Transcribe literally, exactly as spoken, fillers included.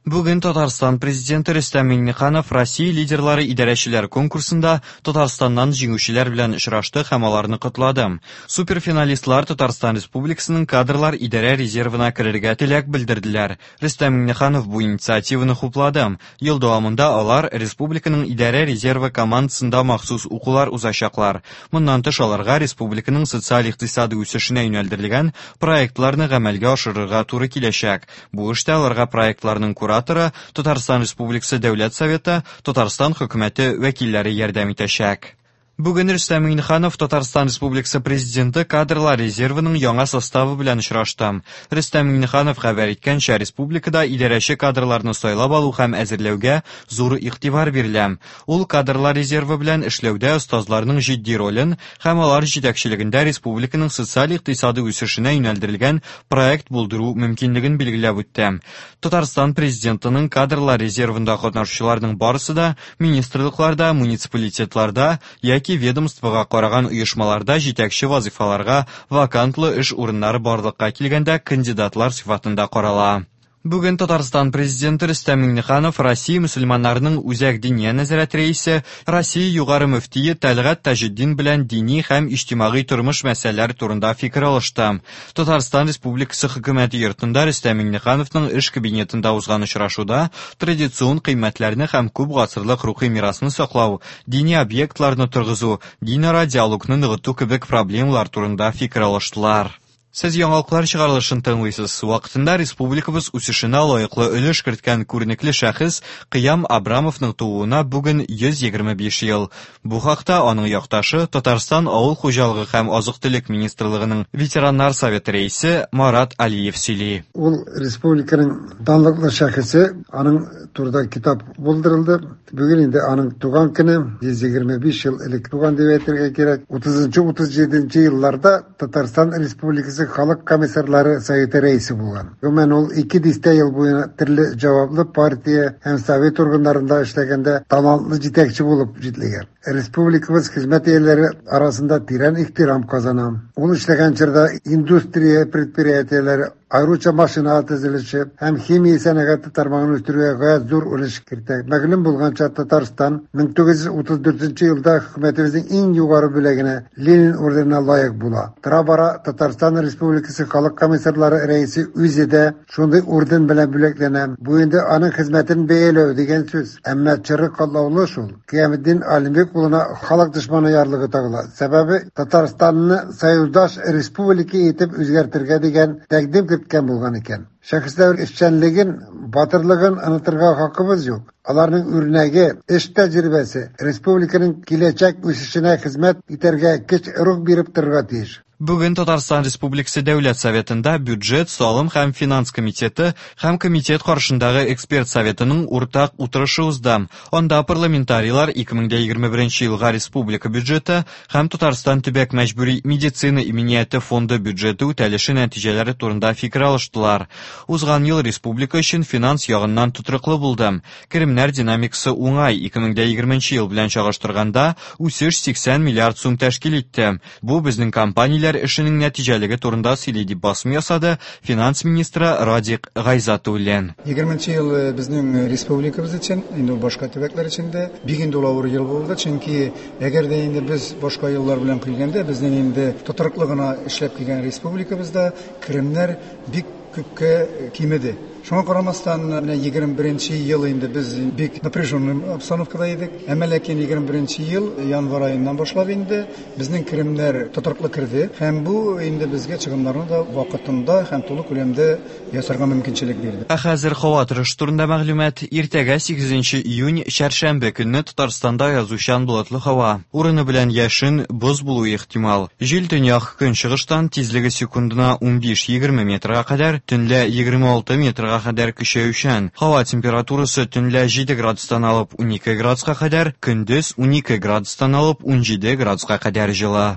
Бүген Татарстан Президенты Рөстәм Миңнеханов Россия лидерлары идарәчеләр конкурсында Татарстаннан җиңүчеләр белән очрашты һәм аларны котлады. Суперфиналистлар Татарстан Республикасының кадрлар идарә резервына керергә теләк белдерделәр. Рөстәм Миңнеханов бу инициативаны хуплады. Ел дәвамында алар республиканың идарә резервы командасында махсус укулар узачаклар. Моннан тыш аларга республиканың социаль-икътисади үсешенә юнәлдерелгән проектларны гамәлгә ашырырга туры киләчәк. Бу эштә аларга проектларның кураторы, Татарстан Республикасы Дәүләт Советы, Татарстан хөкүмәте вәкилләре ярдәм итәчәк. Бүген Рөстәм Миңнеханов Татарстан Республикасы Президенты кадрлар резервының яңа составы белән очрашты. Рөстәм Миңнеханов хәбәр иткәнчә, республикада идарәче кадрларны сайлап алу һәм әзерләүгә зур игътибар бирелә. Ул кадрлар резервы белән эшләүдә остазларның җитди ролен һәм алар җитәкчелегендә республиканың социаль-икътисади үсешенә юнәлдерелгән проект булдыру мөмкинлеген билгеләп үтте. Татарстан Президентының кадрлар резервында катнашучыларның барысы да министрлыкларда, муниципалитетларда яки ведомствога караган оешмаларда җитәкче вазифаларга вакантлы эш урыннары барлыкка килгәндә кандидатлар сыйфатында карала. Бүген Татарстан Президенты Рөстәм Миңнеханов Россия мөселманнарының Үзәк диния нәзарәте рәисе, Россия югары мөфтие Тәлгать Таҗетдин белән дини һәм иҗтимагый тормыш мәсьәләләре турында фикер алышты. Татарстан Республикасы хөкүмәте йортында Рөстәм Миңнехановның эш кабинетында узган очрашуда традицион кыйммәтләрне һәм күп гасырлык рухи мирасны саклау, дини объектларны торгызу, динара диалогны ныгыту кебек проблемалар турында фикер алыштылар. Сез яңалыклар чыгарылышын тыңлыйсыз. Вакытында республикабыз үсешенә лаеклы өлеш керткән күренекле шәхес Кыям Абрамовның тууына бүген йөз егерме биш ел. Бу хакта аның якташы Татарстан Авыл хуҗалыгы һәм азык-төлек министрлыгының ветераннар советы рәисе Марат Алиев сөйли. Ул республиканың данлыклы шәхесе, аның турында китап булдырылды. Бүген инде аның туган көне, йөз егерме биш ел элек туган дип әйтергә кирәк. Утызынчы, утыз җиденче елларда Татарстан Республикасы Халык комиссарлары советы рәисе булган. Гомумән, ул ике дистә ел буена төрле җаваплы партия һәм совет органнарында эшләгәндә талантлы җитәкче булып җитлегән. Республикабыз хезмәт ияләре арасында тирән ихтирам казана. Ул эшләгән чорда индустрия предприятиеләре, аеруча машина төзелеше һәм химия сәнәгате тармагын үстерүгә гаять зур өлеш кертә. Мәгълүм булганча, Татарстан мең тугыз йөз утыз дүртенче елда хөкүмәтебезнең иң югары бүләгенә Ленин орденына лаек була. Тора-бара Татарстан Республикасы Халык комиссарлары рәисе үзе дә шундый орден белән бүләкләнә. Бу инде аның хезмәтен бәяләү дигән сүз. Әмма чыры катлаулы шул. Кыяметдин Алимбек улына халык дошманы ярлыгы тагыла. Сәбәбе Татарстанны союздаш республика итеп үзгәртергә дигән тәкъдим керткән булган икән. Шәхесләр эшчәнлеген, батырлыгын онытырга хакыбыз юк. Аларның үрнәге, эш тәҗрибәсе республиканың киләчәк үсешенә хезмәт итәргә көч, рух биреп торырга тиеш. Бүген Татарстан Республикасы Дәүләт Советында бюджет, салым һәм финанс комитеты һәм комитет каршындагы эксперт советының уртак утырышы узды. Анда парламентарийлар ике мең дә егерме беренче елга республика бюджеты һәм Татарстан төбәк мәҗбүри медицина иминияте фонды бюджеты үтәлеше нәтиҗәләре турында фикер алыштылар. Узган ел республика өчен финанс ягыннан тотрыклы булды. Керемнәр динамикасы уңай, ике мең дә егерменче ел белән чагыштырганда үсеш сиксән миллиард сум тәшкил итте. Бу безнең компанияләр эшенең нәтиҗәлеге турында сөйли дип басым ясады финанс министры Радик Гайзатуллин. Егерменче ел безнең республикабыз өчен, инде башка төбәкләр өчен дә бик инде ул авыр ел булды, чөнки әгәр дә инде без башка еллар белән килгәндә, безнең инде тотрыклы гына эшләп килгән республикабызда керемнәр бик күпкә кимеде. Шуңа карамастан, менә егерме беренче ел инде без бик напряженный обстановкада идек. Әмма ләкин егерме беренче ел январь аеннан башлап инде безнең керемнәр тотрыклы керде һәм бу инде безгә чыгымнарны да вакытында һәм тулы күләмдә ясарга мөмкинчелек бирде. Ә хәзер һава торышы турында мәгълүмат. Иртәгә сигезенче июнь чәршәмбе көнне Татарстанда язучан болытлы һава. Урыны белән яшен, боз булуы ихтимал. Җил төньяк көнчыгыштан тизлеге секундына унбиш-егерме метрга кадәр, төнлә егерме алты метрга кадәр көчәючән. Һава температурасы төнлә җиде градустан алып унике градуска кадәр, көндез унике градустан алып унҗиде градуска кадәр җылы.